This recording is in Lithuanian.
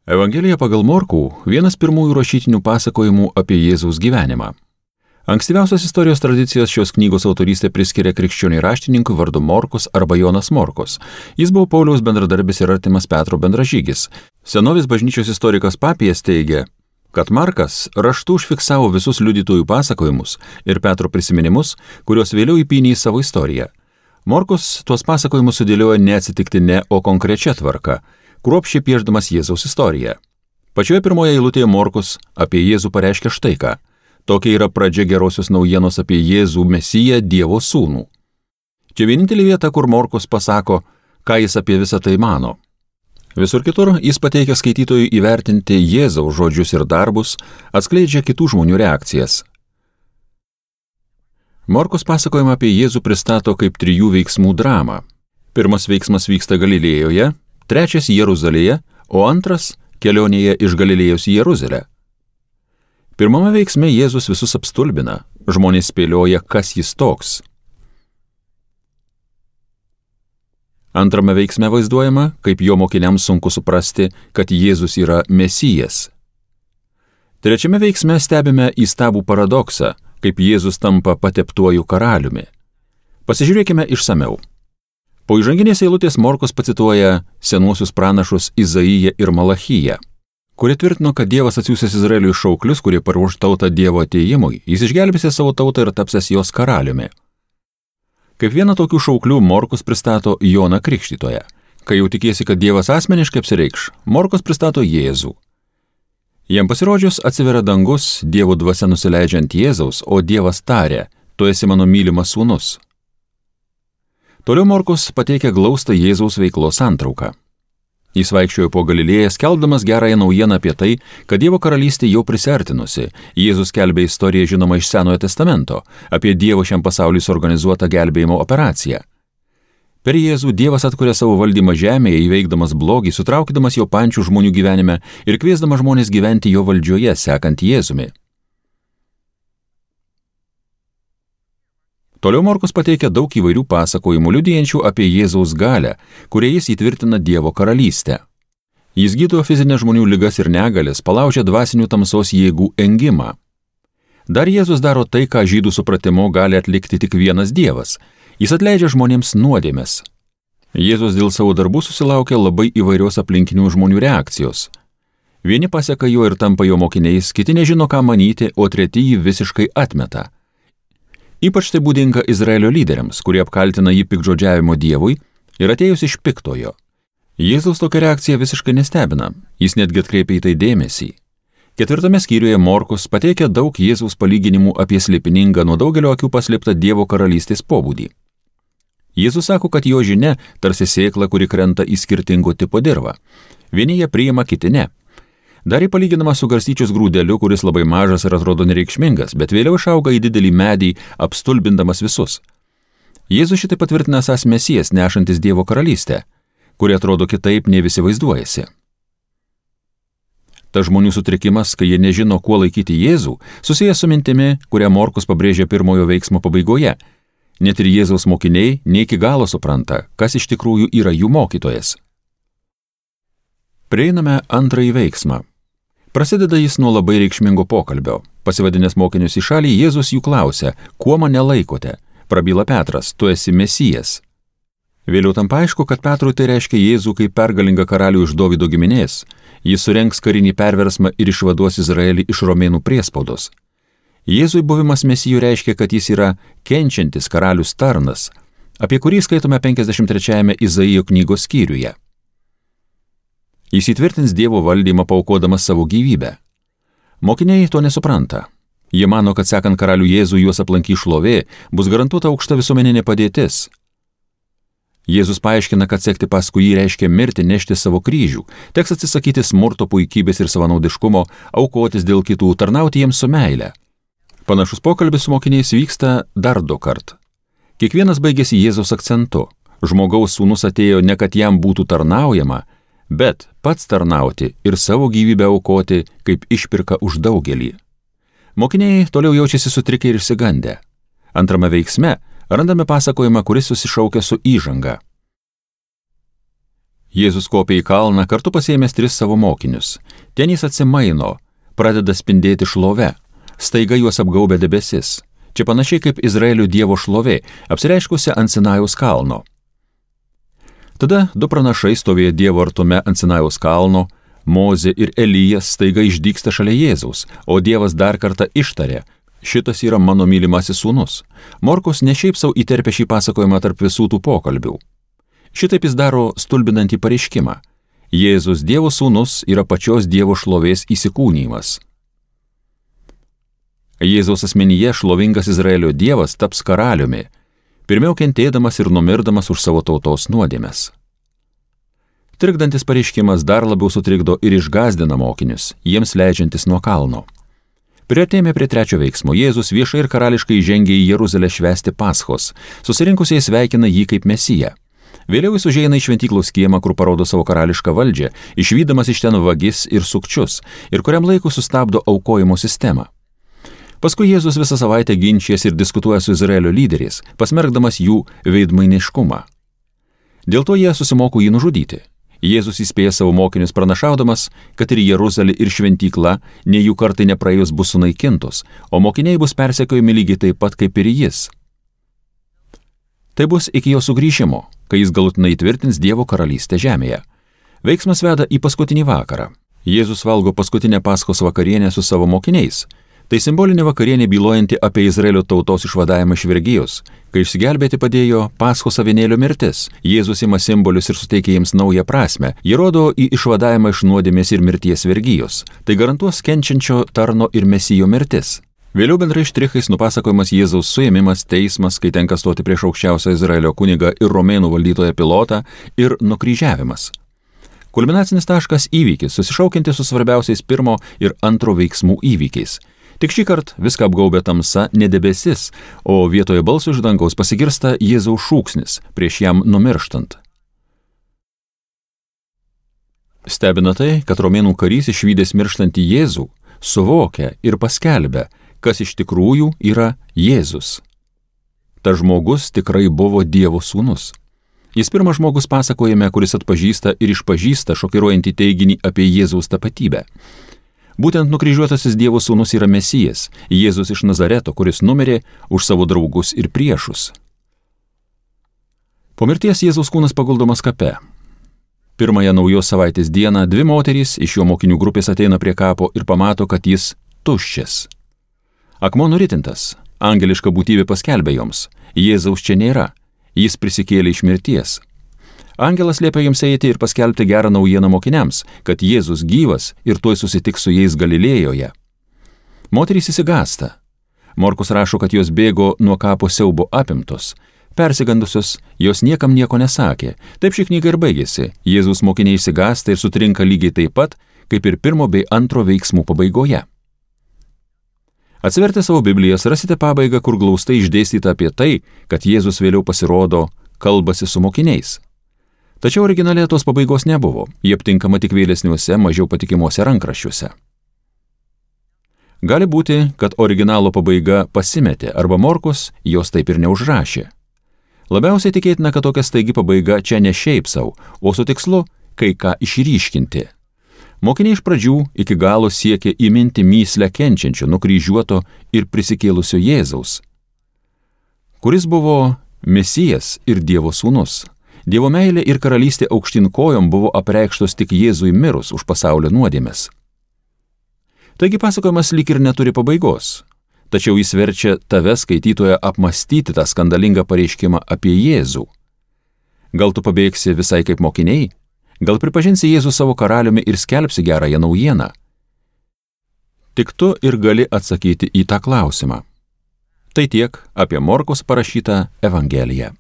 Evangelija pagal Morkų vienas pirmųjų rašytinių pasakojimų apie Jėzaus gyvenimą. Ankstyviausios istorijos tradicijos šios knygos autorystė priskiria krikščioniui raštininkui vardu Morkus arba Jonas Morkus. Jis buvo Pauliaus bendradarbis ir artimas Petro bendražygis. Senovės bažnyčios istorikas Papijas teigia, kad Markas raštu užfiksavo visus liudytojų pasakojimus ir Petro prisiminimus, kuriuos vėliau įpynė į savo istoriją. Morkus tuos pasakojimus sudėlioja neatsitiktinė, o konkrečia tvarka, kruopščiai piešdamas Jėzaus istoriją. Pačioje pirmoje eilutėje Morkus apie Jėzų pareiškia štai ką. Tokia yra pradžia gerosios naujienos apie Jėzų Mesiją, Dievo sūnų. Čia vienintelė vieta, kur Morkus pasako, ką jis apie visą tai mano. Visur kitur jis pateikia skaitytojui įvertinti Jėzaus žodžius ir darbus, atskleidžia kitų žmonių reakcijas. Morkus pasakojimą apie Jėzų pristato kaip 3 veiksmų dramą. Pirmas veiksmas vyksta Galilėjoje, trečias Jeruzalėje, o antras kelionėje iš Galilėjos į Jeruzalę. Pirmame veiksme Jėzus visus apstulbina, žmonės spėlioja, kas jis toks. Antrame veiksme vaizduojama, kaip jo mokiniams sunku suprasti, kad Jėzus yra Mesijas. Trečiame veiksme stebime įstabų paradoksą, kaip Jėzus tampa pateptuoju karaliumi. Pasižiūrėkime išsameu. Po įžanginės eilutės Morkus pacituoja senuosius pranašus Izaiją ir Malachiją, kurie tvirtino, kad Dievas atsiųsęs Izraeliui šauklius, kurie paruoš tautą Dievo atėjimui, jis išgelbės savo tautą ir tapsės jos karaliumi. Kaip vieną tokių šauklių Morkus pristato Joną Krikštytoją. Kai jau tikiesi, kad Dievas asmeniškai apsireikš, Morkus pristato Jėzų. Jam pasirodžius atsiveria dangus, Dievo dvasia nusileidžia ant Jėzaus, o Dievas tarė, tu esi mano mylimas sūnus. Toliau Morkus pateikia glaustą Jėzaus veiklos santrauką. Jis vaikščiojo po Galilėją, skelbdamas gerąją naujieną apie tai, kad Dievo karalystė jau prisiartinusi. Jėzus skelbė istoriją žinomą iš Senojo testamento, apie Dievo šiam pasauliui suorganizuotą gelbėjimo operaciją. Per Jėzų Dievas atkuria savo valdymą žemėje, įveikdamas blogį, sutraukdamas jo pančių žmonių gyvenime ir kviesdamas žmonės gyventi jo valdžioje, sekant Jėzumi. Toliau Morkus pateikia daug įvairių pasakojimų liudijančių apie Jėzaus galią, kurie jis įtvirtina Dievo karalystę. Jis gydo fizinės žmonių ligas ir negalės, palaužia dvasinių tamsos jėgų engimą. Dar Jėzus daro tai, ką žydų supratimu gali atlikti tik vienas Dievas. Jis atleidžia žmonėms nuodėmes. Jėzus dėl savo darbų susilaukia labai įvairios aplinkinių žmonių reakcijos. Vieni paseka jo ir tampa jo mokiniais, kiti nežino, ką manyti, o treti jį visiškai atmeta. Ypač tai būdinga Izraelio lyderiams, kurie apkaltina jį piktžodžiavimo Dievui ir atėjus iš piktojo. Jėzaus tokia reakcija visiškai nestebina, jis netgi atkreipia į tai dėmesį. 4 skyriuje Morkus pateikia daug Jėzaus palyginimų apie slėpiningą nuo daugelio akių paslėptą Dievo karalystės pobūdį. Jėzus sako, kad jo žinia tarsi sėkla, kuri krenta į skirtingo tipo dirvą. Vieni ją priima, kiti ne. Dar įpalyginama su garstyčios grūdeliu, kuris labai mažas ir atrodo nereikšmingas, bet vėliau išauga į didelį medį, apstulbindamas visus. Jėzus šitai patvirtina esąs Mesijas, nešantis Dievo karalystę, kuri atrodo kitaip, nei visi vaizduojasi. Ta žmonių sutrikimas, kai jie nežino, kuo laikyti Jėzų, susijęs su mintimi, kurią Morkus pabrėžia pirmojo veiksmo pabaigoje. Net ir Jėzaus mokiniai ne iki galo supranta, kas iš tikrųjų yra jų mokytojas. Prieiname antrąjį veiksmą. Prasideda jis nuo labai reikšmingo pokalbio. Pasivadinęs mokinius į šalį, Jėzus jų klausia, kuo mane laikote? Prabyla Petras, tu esi Mesijas. Vėliau tampa aišku, kad Petrui tai reiškia Jėzų kaip pergalingą karalių iš Dovydo giminės. Jis surengs karinį perversmą ir išvaduos Izraelį iš romėnų priespaudos. Jėzui buvimas Mesijų reiškia, kad jis yra kenčiantis karalius tarnas, apie kurį skaitome 53 Izaijo knygos skyriuje. Jis įtvirtins Dievo valdymą paaukodamas savo gyvybę. Mokiniai to nesupranta. Jie mano, kad sekant karalių Jėzų juos aplankys šlovė, bus garantuota aukšta visuomeninė padėtis. Jėzus paaiškina, kad sekti paskui jį reiškia mirti, nešti savo kryžių, teks atsisakyti smurto, puikybės ir savanaudiškumo, aukotis dėl kitų, tarnauti jiems su meile. Panašus pokalbis su mokiniais vyksta dar 2 kart. Kiekvienas baigėsi Jėzaus akcentu. Žmogaus sūnus atėjo ne kad jam būtų tarnaujama, bet pats tarnauti ir savo gyvybę aukoti kaip išpirka už daugelį. Mokiniai toliau jaučiasi sutrikę ir išsigandę. Antrame veiksme randame pasakojimą, kuris susišaukia su įžanga. Jėzus kopia į kalną, kartu pasiėmęs 3 savo mokinius. Ten jis atsimaino, pradeda spindėti šlove. Staiga juos apgaubia debesis. Čia panašiai kaip Izraelio Dievo šlovė, apsireiškusi ant Sinajaus kalno. Tada 2 pranašai stovėjo Dievo artume ant Sinajaus kalno, Mozė ir Elijas staiga išdygsta šalia Jėzaus, o Dievas dar kartą ištarė: šitas yra mano mylimasis sūnus. Morkus ne šiaip sau įterpia šį pasakojimą tarp visų tų pokalbių. Šitaip jis daro stulbinantį pareiškimą. Jėzus Dievo sūnus yra pačios Dievo šlovės įsikūnijimas. Jėzaus asmenyje šlovingas Izraelio Dievas taps karaliumi, pirmiau kentėdamas ir numirdamas už savo tautos nuodėmes. Trikdantis pareiškimas dar labiau sutrikdo ir išgąsdina mokinius, jiems leidžiantis nuo kalno. Priartėjome prie 3 veiksmo. Jėzus viešai ir karališkai žengė į Jeruzalę švęsti Paschos, susirinkusiai sveikina jį kaip Mesiją. Vėliau jis užeina į šventyklos kiemą, kur parodo savo karališką valdžią, išvydamas iš ten vagis ir sukčius, ir kuriam laiku sustabdo aukojimo sistemą. Paskui Jėzus visą savaitę ginčijas ir diskutuoja su Izraelio lyderiais, pasmerkdamas jų veidmainiškumą. Dėl to jie susimoko jį nužudyti. Jėzus įspėja savo mokinius pranašaudamas, kad ir Jeruzalė ir šventykla, nei jų kartai nepraėjus bus sunaikintos, o mokiniai bus persekiojami lygiai taip pat kaip ir jis. Tai bus iki jo sugrįžimo, kai jis galutinai įtvirtins Dievo karalystę žemėje. Veiksmas veda į paskutinį vakarą. Jėzus valgo paskutinę Paschos vakarienę su savo mokiniais. Tai simbolinė vakarienė bylojanti apie Izraelio tautos išvadavimą iš vergijos, kai išsigelbėti padėjo Paschos avinėlio mirtis. Jėzus ima simbolius ir suteikia jiems naują prasmę. Jie rodo į išvadavimą iš nuodėmės ir mirties vergijos. Tai garantuos kenčiančio tarno ir Mesijo mirtis. Vėliau bendrai štrichais nupasakojamas Jėzaus suėmimas, teismas, kai tenka stoti prieš aukščiausią Izraelio kunigą ir romėnų valdytoją Pilotą, ir nukryžiavimas. Kulminacinis taškas įvykis, susišaukiantis su svarbiausiais 1 ir 2 veiksmų įvykiais. Tik šį kartą viską apgaubė tamsa, ne debesis, o vietoje balso iš dangaus pasigirsta Jėzaus šūksnis prieš jam numirštant. Stebina tai, kad romėnų karys išvydęs mirštantį Jėzų suvokia ir paskelbia, kas iš tikrųjų yra Jėzus. Ta žmogus tikrai buvo Dievo sūnus. Jis pirmas žmogus pasakojime, kuris atpažįsta ir išpažįsta šokiruojantį teiginį apie Jėzaus tapatybę. Būtent nukryžiuotasis Dievo sūnus yra Mesijas, Jėzus iš Nazareto, kuris numirė už savo draugus ir priešus. Po mirties Jėzaus kūnas paguldomas kape. Pirmąją naujos savaitės dieną 2 moterys iš jo mokinių grupės ateina prie kapo ir pamato, kad jis tuščias. Akmuo nuritintas, angeliška būtybė paskelbė joms: Jėzaus čia nėra, jis prisikėlė iš mirties. Angelas liepia jiems eiti ir paskelbti gerą naujieną mokiniams, kad Jėzus gyvas ir tuoj susitiks su jais Galilėjoje. Moterys išsigąsta. Morkus rašo, kad jos bėgo nuo kapo siaubo apimtos. Persigandusios, jos niekam nieko nesakė. Taip ši knyga ir baigėsi. Jėzus mokiniai išsigąsta ir sutrinka lygiai taip pat, kaip ir 1 bei 2 veiksmų pabaigoje. Atsivertę savo Biblijas rasite pabaigą, kur glaustai išdėstyta apie tai, kad Jėzus vėliau pasirodo, kalbasi su mokiniais. Tačiau originale tos pabaigos nebuvo, jie aptinkama tik vėlesniuose, mažiau patikimuose rankraščiuose. Gali būti, kad originalo pabaiga pasimetė arba Morkus jos taip ir neužrašė. Labiausiai tikėtina, kad tokia staigi pabaiga čia ne šiaip sau, o su tikslu kai ką išryškinti. Mokiniai iš pradžių iki galo siekė įminti mįslę kenčiančio, nukryžiuoto ir prisikėlusio Jėzaus, kuris buvo Mesijas ir Dievo sūnus. Dievo meilė ir karalystė aukštyn kojom buvo apreikštos tik Jėzui mirus už pasaulio nuodėmes. Taigi pasakojimas lyg ir neturi pabaigos, tačiau jis verčia tave skaitytoją apmąstyti tą skandalingą pareiškimą apie Jėzų. Gal tu pabėgsi visai kaip mokiniai? Gal pripažinsi Jėzų savo karaliumi ir skelbsi gerąją naujieną? Tik tu ir gali atsakyti į tą klausimą. Tai tiek apie Morkaus parašytą Evangeliją.